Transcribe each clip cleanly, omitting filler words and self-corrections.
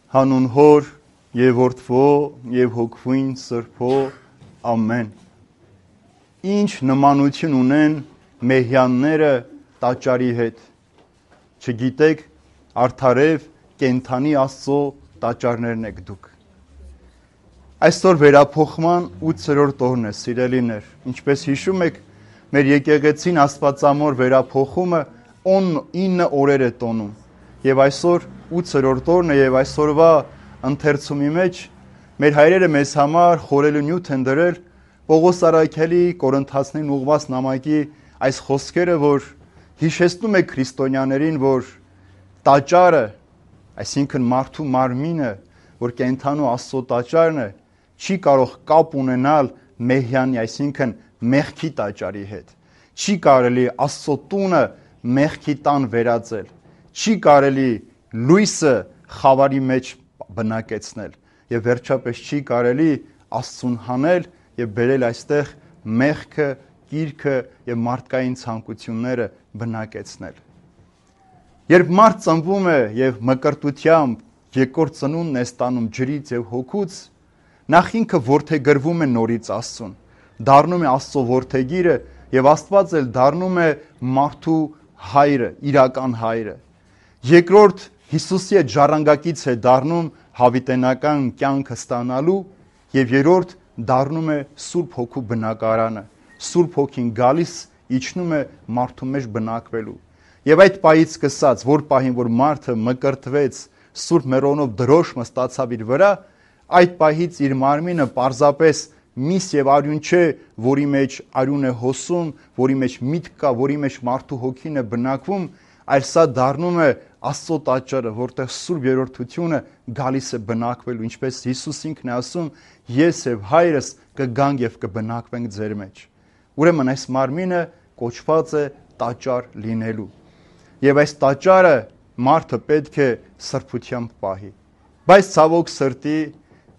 Հանուն Հոր եւ Որդվո եւ Հոգվույն Սրբո ամեն։ Ինչ նմանություն ունեն մեհյանները տաճարի հետ։ Չգիտեք, արդարև կենթանի Աստծո տաճարներն եք դուք։ Այսօր վերափոխման 8-րդ օրն է, սիրելիներ։ Ինչպես հիշում եք, մեր եկեղեցին Աստվածամոր վերափոխումը 9 օրեր է տոնում։ Եվ այսօր 8-րդ օրն է եւ այսօրվա ընթերցումի մեջ մեր հայրերը մեզ համար խորելու նյութ են դրել Պողոս Արաքելի Կորինթացներին ուղված նամակի այս խոսքերը, որ հիշեցնում է քրիստոնյաներին, որ տաճարը, այսինքն մարդու մարմինը, որ կենթանու Աստծո տաճարն է, չի կարող կապ ունենալ մեհյանի, այսինքն մեղքի տաճարի հետ։ Չի կարելի Աստծո տունը մեղքի տան վերածել։ Չի կարելի լույսը խավարի մեջ բնակեցնել եւ վերջապես չի կարելի Աստծուն հանել եւ բերել այստեղ մեղքը, կիրքը եւ մարդկային ցանկությունները բնակեցնել։ Երբ մարդ ծնվում է եւ մկրտությամբ երկրորդ ծնունդն է ստանում ջրից եւ հոգուց, նախ ինքը որդեգրվում է նորից Աստծուն, դառնում է Աստծո որդեգիրը եւ Աստված էլ դառնում է մարդու հայրը, իրական հայրը։ Երկրորդ Հիսուսի հետ ժառանգակից է դառնում հավիտենական կյանքը ստանալու եւ երրորդ դառնում է Սուրբ Հոգու բնակարանը։ Սուրբ Հոգին գալիս իջնում է մարդու մեջ բնակվելու։ Եվ այդ պահից սկսած, որ պահին որ մարդը մկրտվեց, Սուրբ Մերոնով դրոշմը ստացավ իր վրա, այդ պահից իր մարմինը պարզապես միս եւ արյուն չէ, որի մեջ արյուն է հոսում, որի մեջ միտք կա, որի մեջ մարդու հոգին է բնակվում, այլ սա դառնում է Աստծո տաճարը, որտեղ Սուրբ Երրորդությունը գալիս է բնակվելու, ինչպես Հիսուս ինքն է ասում, ես եւ հայրս կգանք եւ կբնակվենք ձեր մեջ։ Ուրեմն այս մարմինը կոչված է տաճար լինելու։ Եվ այս տաճարը մարդը պետք է սրբությամբ պահի։ Բայց ցավոք սրտի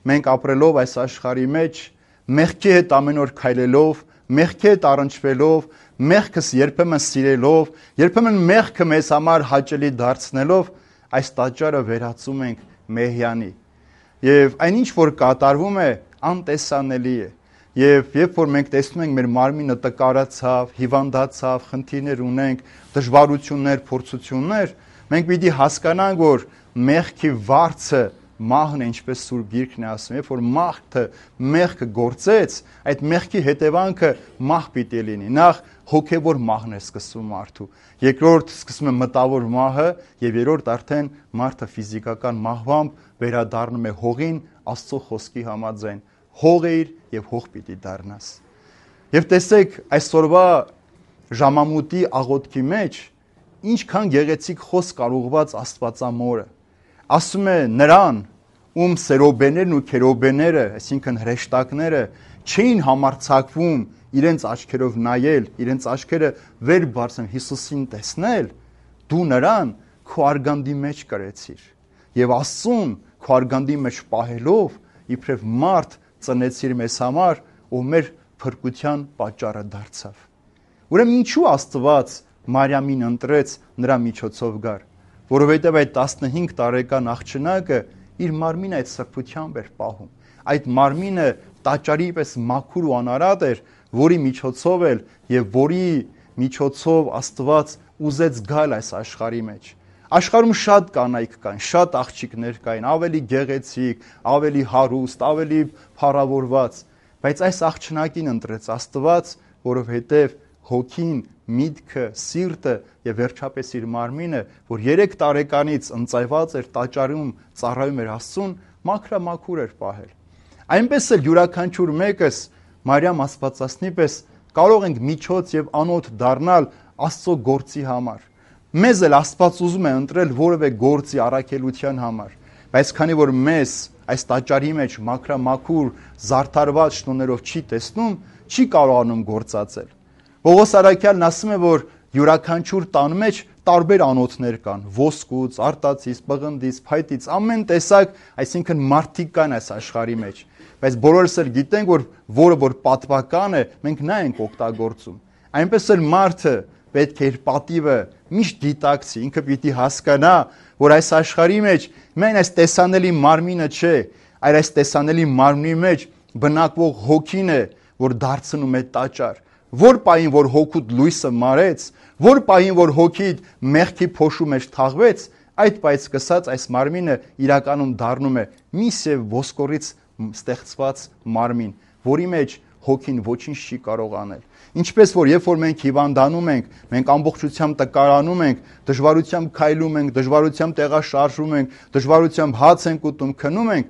մենք ապրելով այս աշխարհի մեջ, մեղքի հետ ամեն օր քայլելով, մեղքի հետ առնչվելով, մեղքս երբեմն սիրելով, երբեմն մեղքը մեզ համար հաճելի դարձնելով, այս տաճարը վերածում ենք մեհյանի։ Եվ այնինչ որ կատարվում է, անտեսանելի է։ Եվ երբ որ մենք տեսնում ենք մեր մարմինը տկարացավ, հիվանդացավ, խնդիրներ ունենք, դժվարություններ, փորձություններ, մենք պիտի հասկանանք, որ մեղքի վարձը մահն է, ինչպես Սուրբ Գիրքն է ասում, երբ որ մարդը մեղքը գործեց, այդ մեղքի հետևանքը մահ պիտի լինի։ Նախ հոգևոր մահն է սկսում մարդու, երկրորդ սկսում է մտավոր մահը եւ երրորդ արդեն մարդը ֆիզիկական մահվամբ վերադառնում է հողին Աստծո խոսքի համաձայն։ Հող էիր եւ հող պիտի դառնաս։ Եվ տեսեք այսօրվա ժամամուտի աղոթքի մեջ ինչքան գեղեցիկ խոսք արուղված Աստվածամորը։ Ասում է նրան, ում սերոբեներն ու քերոբեները, այսինքն հրեշտակները, չէին համարձակվում իրենց աչքերով նայել, իրենց աչքերը վեր բարձրացնել Հիսուսին տեսնել, դու նրան քո արգանդի մեջ կրեցիր։ Եվ Աստծուն քո արգանդի մեջ պահելով, իբրև մարդ ծնեցիր մեզ համար, ով մեր փրկության պատճառը դարձավ։ Ուրեմն ինչու Աստված Մարիամին ընտրեց նրա միջոցով գար, որովհետև այդ 15 տարեկան աղջնակը իր մարմինը այդ սրբությամբ էր պահում։ Այդ մարմինը տաճարի պես մաքուր ու անարատ էր, որի միջոցով էլ եւ որի միջոցով Աստված ուզեց գալ այս աշխարհի մեջ։ Աշխարհում շատ կանայք կային, շատ աղջիկներ կային, ավելի գեղեցիկ, ավելի հարուստ, ավելի փառավորված, բայց այս աղջնակին ընտրեց Աստված, որովհետև հոգին, միտքը, սիրտը եւ վերջապես իր մարմինը, որ 3 տարեկանից ընծայված էր տաճարում ծառայում էր Աստծուն, մաքրամաքուր էր պահել։ Այնպես էլ յուրաքանչյուր մեկս Մարիամ Աստվածածնի պես կարող ենք միջոց եւ անոթ դառնալ Աստծո գործի համար։ Մեզ էլ Աստված ուզում է ընտրել որևէ գործի առաքելության համար, բայց քանի որ մեզ այս տաճարի մեջ մաքրամաքուր զարդարված շնորհներով չի տեսնում, չի կարողանում գործածել։ Պողոս Արաքյալն ասում է, որ յուրաքանչյուր տան մեջ տարբեր անոթներ կան, ոսկուց, արտածից, պղնդից, փայտից, ամեն տեսակ, այսինքն մարդիկ կան այս աշխարհի մեջ։ Բայց բոլորս էլ գիտենք, որ որը որ պատվական է, մենք նա ենք օգտագործում։ Այնպես էլ մարդը պետք է իր պատիվը միշտ դիտակցի, ինքը պիտի հասկանա, որ այս աշխարհի մեջ մեն այս տեսանելի մարմինը չէ, այլ այս տեսանելի մարմնի մեջ բնակվող հոգին է, որ դարձնում է տաճար։ Որ պահին, որ հոգուդ լույսը մարեց, որ պահին, որ հոգիդ մեղքի փոշու մեջ թաղվեց, այդ պահից սկսած այս մարմինը իրականում դառնում է միս եւ ոսկորից ստեղծված մարմին, որի մեջ հոգին ոչինչ չի կարող անել։ Ինչպես որ երբ որ մենք հիվանդանում ենք, մենք ամբողջությամբ տկարանում ենք, դժվարությամբ քայլում ենք, դժվարությամբ տեղաշարժում ենք, դժվարությամբ հաց ենք ուտում, քնում ենք,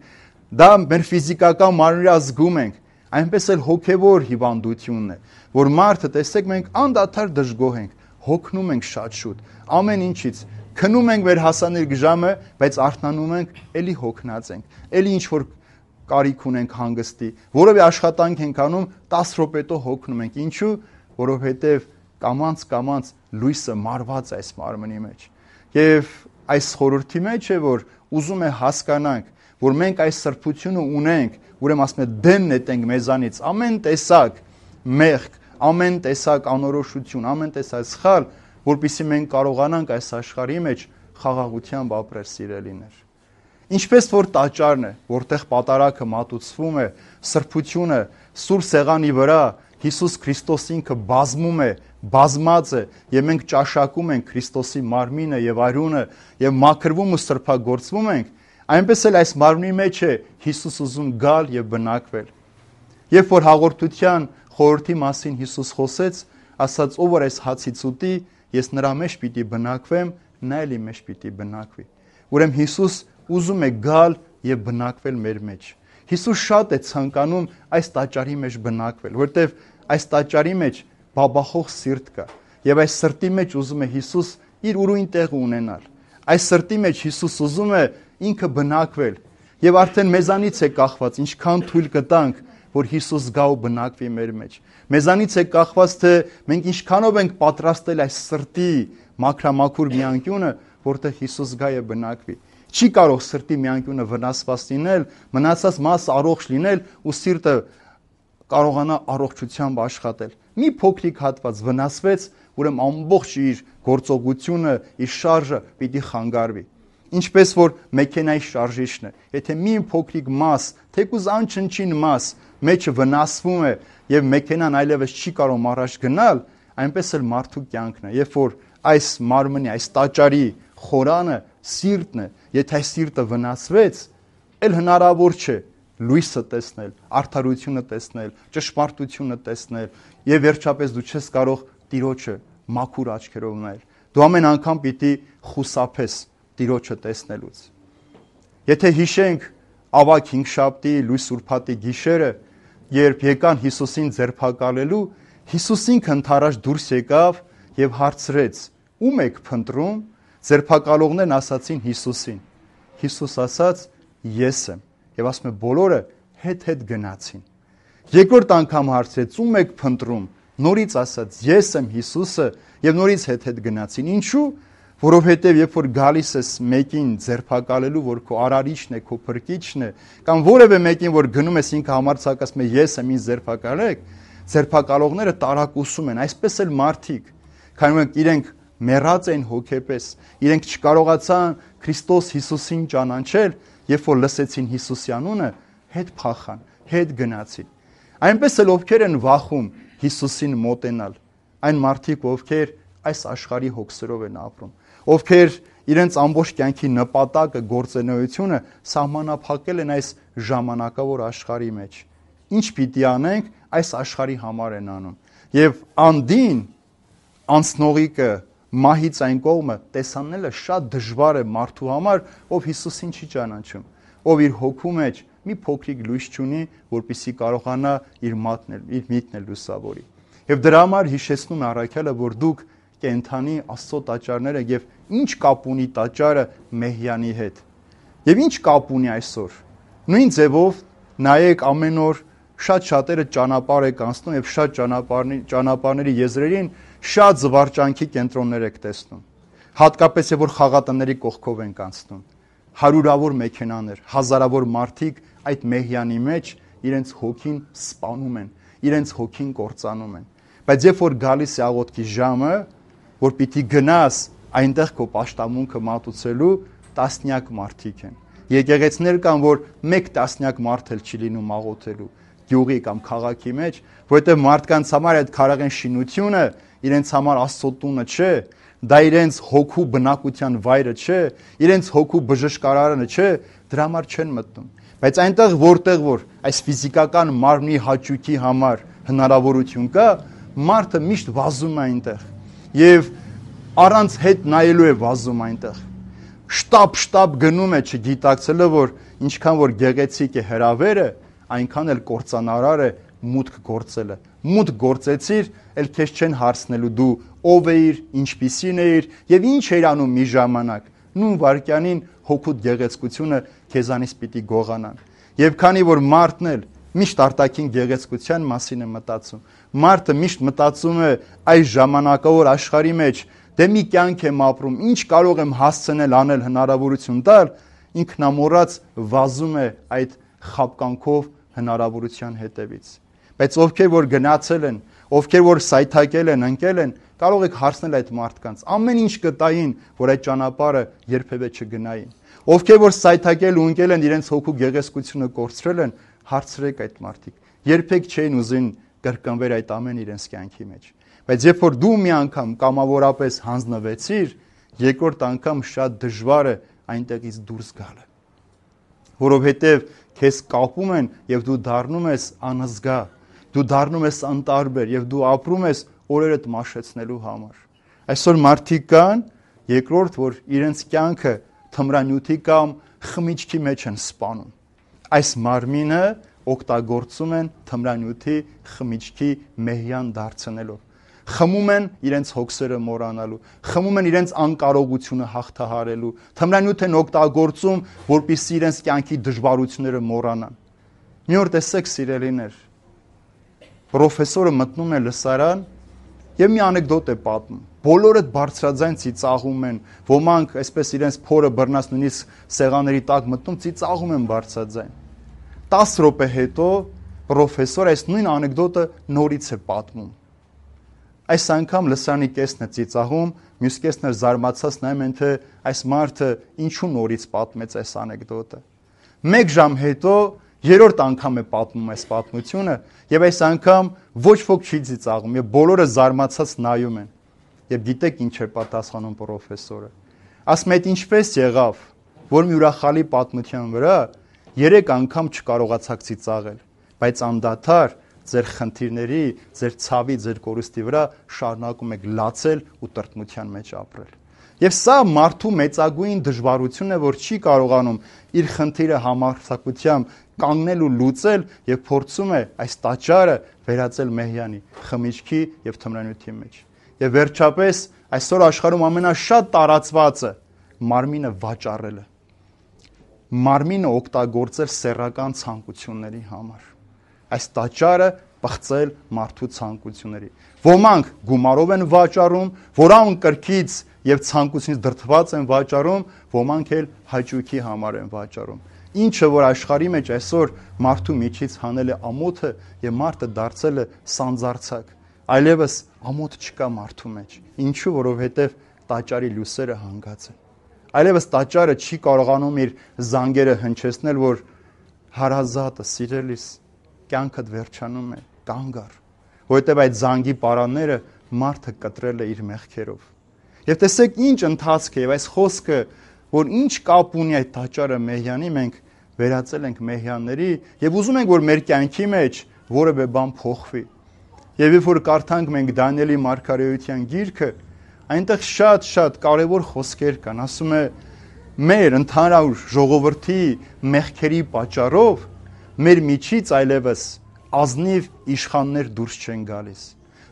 դա մեր ֆիզիկական մարմինը զգում ենք, այնպես էլ հոգևոր հիվանդությունն է, որ մարդը, տեսեք, մենք անդադար դժգոհ ենք, հոգնում ենք շատ շուտ, ամեն ինչից, քնում ենք մեր հասանելի ժամը, բայց արթնանում ենք, էլի հոգնած ենք, էլի ինչ որ կարիք ունենք հանգստի, որովե աշխատանք ենք անում, 10 րոպետո հոգնում ենք, ինչու, որովհետև կամանց լույսը մարված է այս մարմնի մեջ։ Եվ այս խորհրդի մեջ է, որ ուզում է հասկանանք, որ մենք այս սրբությունը ունենք, ուրեմն ասում է դեն նետենք մեզանից ամեն տեսակ մեղք, ամեն տեսակ անորոշություն, ամեն տեսակ սխալ, որպեսզի մենք կարողանանք այս աշխարհի մեջ խաղաղությամբ ապրել, սիրելիներ։ Ինչպես որ տաճարն է, որտեղ պատարագը մատուցվում է, սրբությունը սուրբ սեղանի վրա Հիսուս Քրիստոս ինքը բազմում է, բազմած է, եւ մենք ճաշակում ենք Քրիստոսի մարմինը եւ արյունը եւ մաքրվում ու սրբագործվում ենք, այնպես էլ այս մարմնի մեջ է Հիսուս ուզում գալ եւ բնակվել։ Երբ որ հաղորդության խորհրդի մասին Հիսուս խոսեց, ասաց, ով որ այս հացից ուտի, ես նրա մեջ պիտի բնակվեմ, նա էլ իմ մեջ պիտի բնակվի։ Ուրեմն Հիսուս ուզում է գալ եւ բնակվել մեր մեջ։ Հիսուս շատ է ցանկանում այս տաճարի մեջ բնակվել, որտեվ այս տաճարի մեջ բաբախող սիրտ կա, եւ այս սրտի մեջ ուզում է Հիսուս իր ուրույն տեղը ունենալ։ Այս սրտի մեջ Հիսուս ուզում է ինքը բնակվել, եւ արդեն մեզանից է կախված, ինչքան թույլ կտանք, որ Հիսուս գա ու բնակվի մեր մեջ։ Մեզանից է կախված, թե մենք ինչքանով ենք պատրաստել այս սրտի մաքրամաքուր մի անկյունը, որտեղ Հիսուս գա եւ բնակվի։ Չի կարող սրտի մի անկյունը վնասված լինել, մնացած մասը առողջ լինել ու սիրտը կարողանա առողջությամբ աշխատել։ Մի փոքրիկ հատված վնասվեց, ուրեմն ամբողջ իր գործողությունը, իր շարժը պիտի խանգարվի։ Ինչպես որ մեքենայի շարժիչն է, եթե մի փոքրիկ մաս, թեկուզ անչնչին մաս մեջը վնասվում է եւ մեքենան այլևս չի կարող առաջ գնալ, այնպես էլ մարդու կյանքն է, երբ որ այս մարմնի, այս տաճարի խորանը սիրտն է, եթե այս սիրտը վնասվեց, էլ հնարավոր չէ լույսը տեսնել, արդարությունը տեսնել, ճշմարտությունը տեսնել եւ վերջապես դու չես կարող Տիրոջը մաքուր աչքերով նայել։ Դու ամեն անգամ պիտի խուսափես Տիրոջը տեսնելուց։ Եթե հիշենք ավագ հինգշաբթի լույս ուրբաթի գիշերը, երբ եկան Հիսուսին ձերբակալելու, Հիսուս ինքը ընդառաջ դուրս եկավ եւ հարցրեց. «Ո՞ւմ եք փնտրում»։ Ձերբակալողներն ասացին Հիսուսին։ Հիսուս ասաց. «Ես եմ»։ Եվ ասում է բոլորը հետ գնացին։ Երկրորդ անգամ հարցրեց. «Ո՞ւմ եք փնտրում»։ Նորից ասաց. «Ես եմ Հիսուսը», եւ նորից հետ գնացին։ Ինչու՞։ Որովհետեւ երբ որ գալիս ես մեկին ձերբակալելու, որ քո արարիչն է, քո փրկիչն է, կամ որևէ մեկին, որ գնում ես ինքը համարձակացում է ես եմ, ինձ ձերբակալեք, ձերբակալողները տարակուսում են, այսպես էլ մարդիկ, քանի որ իրենք մեռած են հոգեպես, իրենք չկարողացան Քրիստոս Հիսուսին ճանաչել, երբ որ լսեցին Հիսուսի անունը, հետ փախան, հետ գնացին։ Այնպես էլ ովքեր են վախում Հիսուսին մոտենալ, այն մարդիկ, ովքեր այս աշխարհի հոգսերով են ապրում, ովքեր իրենց ամբողջ կյանքի նպատակը, գործունեությունը սահմանափակել են այս ժամանակավոր աշխարհի մեջ։ Ինչ պիտի անենք, այս աշխարհի համար են անում։ Եվ անդին անցնողիկը մահից այն կողմը տեսանելը շատ դժվար է մարդու համար, ով Հիսուսին չի ճանաչում, ով իր հոգու մեջ մի փոքրիկ լույս չունի, որպեսզի կարողանա իր միտքն լուսավորի։ Եվ դրա համար հիշեցնում է առաքյալը, որ դուք կենթանի Աստծո տաճարներ եք եւ ինչ կապ ունի տաճարը Մեհյանի հետ։ Եվ ինչ կապ ունի այսօր։ Նույն ձևով նայեք ամեն օր շատ շատերը ճանապարհ եք անցնում եւ շատ ճանապարհների եզրերին շատ զվարճանքի կենտրոններ եք տեսնում։ Հատկապես երբ որ խաղատների կողքով ենք անցնում։ Հարյուրավոր մեքենաներ, հազարավոր մարդիկ այդ Մեհյանի մեջ իրենց հոգին սպանում են, իրենց հոգին կործանում են։ Բայց երբ որ գալիս է աղոթքի ժամը, որ պիտի գնաս այնտեղ քո պաշտամունքը մատուցելու, տասնյակ մարդիկ են։ Եկեղեցիներ կան, որ մեկ տասնյակ մարդ էլ չի լինում աղոթելու գյուղի կամ քաղաքի մեջ, որովհետև մարդկանց համար այդ քարաղեն շինությունը իրենց համար Աստծո տունը չէ, դա իրենց հոգու բնակության վայրը չէ, իրենց հոգու բժշկարարանը չէ, դրա համար չեն մտնում։ Բայց այնտեղ որտեղ որ այս ֆիզիկական մարմնի հաճույքի համար հնարավորություն կա, մարդը միշտ վազում է այնտեղ եւ առանց հետ նայելու է վազում այնտեղ։ Շտապ գնում է չգիտակցելով, որ ինչքան որ գեղեցիկ է հրավերը, այնքան էլ կործանարար է մուտք գործելը։ Մուտք գործեցիր, էլ քեզ չեն հարցնելու դու ով էիր, ինչպիսին էիր եւ ինչ էիր անում մի ժամանակ։ Նույն վարքյանին հոգուտ գեղեցկությունը քեզանից պիտի գողանան։ Եվ քանի որ մարդն էլ միշտ արտաքին գեղեցկության մասին է մտածում, մարդը միշտ մտածում է այս ժամանակավոր աշխարհի մեջ, դե մի կյանք եմ ապրում, ինչ կարող եմ հասցնել անել, հնարավորություն տալ, ինքնամոռաց վազում է այդ խապկանքով հնարավորության հետևից։ Բայց ովքեր որ գնացել են, ովքեր որ սայթակել են, ընկել են, կարող եք հարցնել այդ մարդկանց, ամեն ինչ կտային, որ այդ ճանապարհը երբևէ չգնային։ Ովքեր որ սայթակել ու ընկել են, իրենց հոգու գեղեցկությունը կորցրել են, հարցրեք այդ մարդիկ։ Երբեք չէին ուզին կրկնվել այդ ամեն իրենց կյանքի մեջ։ Բայց երբ որ դու մի անգամ կամավորապես հանձնվեցիր, երկրորդ անգամ շատ դժվար է այնտեղից դուրս գալը։ Որովհետև քեզ կապում են եւ դու դառնում ես անզգա, դու դառնում ես անտարբեր եւ դու ապրում ես օրերդ մաշեցնելու համար։ Այսօր մարդիկ կան, երկրորդ, որ իրենց կյանքը թմրանյութի կամ խմիչքի մեջ են սպանում։ Այս մարմինը օգտագործում են թմրանյութի խմիչքի մեհյան դարձնելով։ Խմում են իրենց հոգսերը մոռանալու, խմում են իրենց անկարողությունը հաղթահարելու, թմրանյութ են օգտագործում, որպեսզի իրենց կյանքի դժվարությունները մոռանան։ Մի օր տեսեք սիրելիներ, պրոֆեսորը մտնում է լսարան եւ մի անեկդոտ է պատմում։ Բոլորը բարձրաձայն ծիծաղում են, ոմանք այսպես իրենց փորը բռնած նույնիսկ սեղանների տակ մտնում, ծիծաղում են բարձրաձայն։ 10 րոպե հետո պրոֆեսորը այս նույն անեկդոտը նորից է պատմում։ Այս անգամ լսարանի կեսն է ծիծաղում, մյուս կեսն է զարմացած նայում են, թե այս մարդը ինչու նորից պատմեց այս անեկդոտը։ 1 ժամ հետո երրորդ անգամ է պատմում այս պատմությունը եւ այս անգամ ոչ ոք չի ծիծաղում եւ բոլորը զարմացած նայում են։ Եվ գիտեք ինչ է պատասխանում պրոֆեսորը։ Ասում է, ինչպես եղավ, որ մի ուրախալի պատմության վրա 3 անգամ չկարողացաք ծիծաղել, բայց անդադար ձեր խնդիրների, ձեր ցավի, ձեր կորուստի վրա շարունակում եք լացել ու տրտմության մեջ ապրել։ Եվ սա մարդու մեծագույն դժվարությունն է, որ չի կարողանում իր խնդիրը համարձակությամբ կանգնել ու լուծել եւ փորձում է այս տաճարը վերածել մեհյանի, խմիչքի եւ թմրանյութի մեջ։ Եվ վերջապես այսօր աշխարհում ամենաշատ տարածվածը մարմինը վաճառելը։ Մարմինը օգտագործել սեռական ցանկությունների համար։ Այս տաճարը պղծել մարդու ցանկությունների։ Ոմանք գումարով են վաճառում, որանք կրքից եւ ցանկությունից դրդված են վաճառում, ոմանք էլ հաճույքի համար են վաճառում։ Ինչը որ աշխարհի մեջ այսօր մարդու միջից հանել է ամոթը եւ մարդը դարձել է սանձարցակ։ Այլևս ամոթ չկա մարդու մեջ։ Ինչու, որովհետեւ տաճարի լույսերը հանգած են։ Այլևս տաճարը չի կարողանում իր զանգերը հնչեցնել, որ հարազատը, սիրելիս, կյանքդ վերջանում է, կանգ առ, որովհետև այդ զանգի պարանները մարդը կտրել է իր մեղքերով։ Եվ տեսեք ինչ ընթացք է, եւ այս խոսքը, որ ինչ կապ ունի այդ տաճարը մեհյանի, մենք վերածել ենք մեհյանների եւ ուզում ենք, որ մեր կյանքի մեջ որևէ բան փոխվի։ Եվ երբ որ կարդանք մենք Դանիելի մարգարեության գիրքը, այնտեղ շատ կարևոր խոսքեր կան, ասում է մեր ընդհանուր ժողովրդի մեղքերի պատճառով մեր միջից այլևս ազնիվ իշխաններ դուրս չեն գալիս։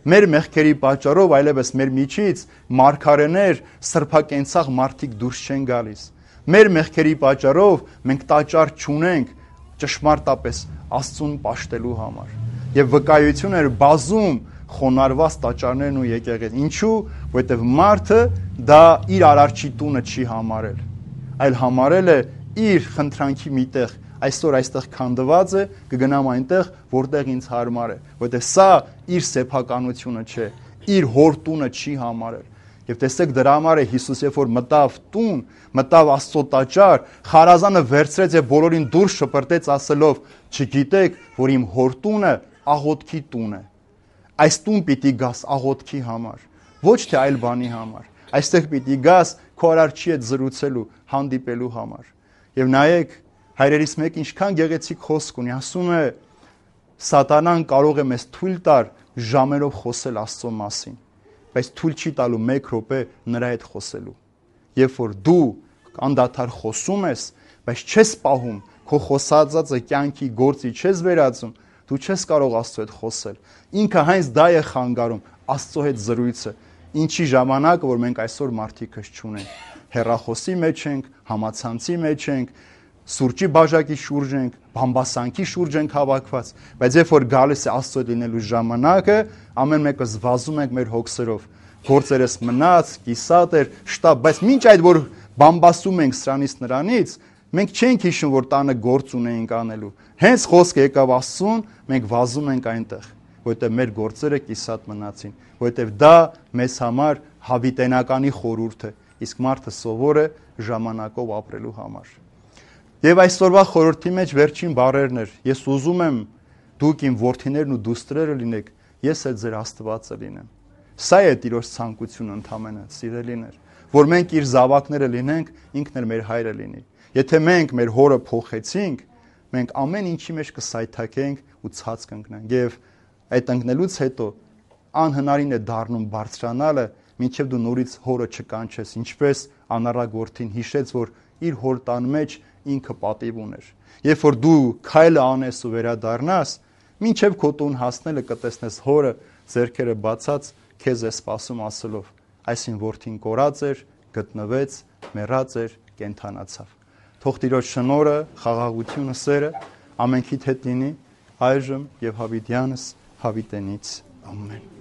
Մեր մեղքերի պատճառով այլևս մեր միջից մարգարեներ, սրբակենցաղ մարդիկ դուրս չեն գալիս։ Մեր մեղքերի պատճառով մենք տաճար չունենք ճշմարտապես Աստծուն պաշտելու համար։ Եվ վկայություն էր բազում խոնարհված տաճարներն ու եկեղեցի։ Ինչու՞, որովհետև մարդը դա իր արարչի տունը չի համարել, այլ համարել է իր խնդրանքի միտեղ, այսօր այստեղ քանդված է, կգնամ այնտեղ, որտեղ ինձ հարմար է, որովհետև սա իր սեփականությունը չէ, իր հոր տունը չի համարել։ Եվ տեսեք դրա համար է Հիսուս երբ որ մտավ տուն, մտավ Աստծո տաճար, խարազանը վերցրեց եւ բոլորին դուրս շպրտեց ասելով. «Չգիտեք, որ իմ հոր տունը աղոթքի տուն է»։ Այս տուն պիտի գաս աղոթքի համար, ոչ թե այլ բանի համար։ Այստեղ պիտի գաս քո արարչի հետ զրուցելու, հանդիպելու համար։ Եվ նայեք, հայրերիս մեկ ինչքան գեղեցիկ խոսք ունի, ասում է. Սատանան կարող է մեզ թույլ տար ժամերով խոսել Աստծո մասին, բայց թույլ չի տալու 1 րոպե նրա հետ խոսելու։ Երբ որ դու անդադար խոսում ես, բայց չես պահում, քո խոսածածը կյանքի գործի չես վերածում, դու չես կարող Աստծո հետ խոսել։ Ինքը հենց դա է խանգարում Աստծո հետ զրույցը, ինչի ժամանակը, որ մենք այսօր մարդիկս չունենք։ Հեռախոսի մեջ ենք, համացանցի մեջ ենք, սուրճի բաժակի շուրջ ենք, բամբասանքի շուրջ ենք հավաքված, բայց երբ որ գալիս է Աստծո հետ լինելու ժամանակը, ամեն մեկս վազում ենք մեր հոգսերով, գործերս մնաց, կիսատ էր, շտապ, բայց մինչ այդ որ բամբասում ենք սրանից նրանից, մենք չենք հիշում, որ տանը գործ ունեինք անելու։ Հենց խոսքը եկավ Աստծուն, մենք վազում ենք այնտեղ, որտեղ մեր գործերը կիսատ մնացին, որտեղ դա մեզ համար հավիտենականի խորհուրդ է, իսկ մարդը սովոր է ժամանակով ապրելու համար։ Եվ այսօրվա խորհրդի մեջ վերջին բառերն էր. ես ուզում եմ դուք իմ որդիներն ու դուստրերը լինեք, ես էլ ձեր Աստվածը լինեմ։ Սա է Տիրոջ ցանկությունը ընդամենը, սիրելիներ, որ մենք իր զավակները լինենք, ինքն էլ մեր հայրը լինի։ Եթե մենք մեր հորը փոխեցինք, մենք ամեն ինչի մեջ կսայթաքենք ու ցած կընկնենք։ Եվ այդ ընկնելուց հետո անհնարին է դառնում բարձրանալը, մինչև դու նորից հորը չկանչես, ինչպես անառակ որդին հիշեց, որ իր հոր տան մեջ ինքը պատիվ ուներ։ Երբ որ դու քայլը անես ու վերադառնաս, մինչև քո տուն հասնելը կտեսնես հորը ձեռքերը բացած քեզ է սպասում ասելով. այսին որդին կորած էր, գտնվեց, մեռած էր, կենդանացավ։ Թող Տիրոջ շնորհը, խաղաղությունը, սերը ամենքիդ հետ լինի այժմ եւ հավիտյանս հավիտենից։ Ամեն։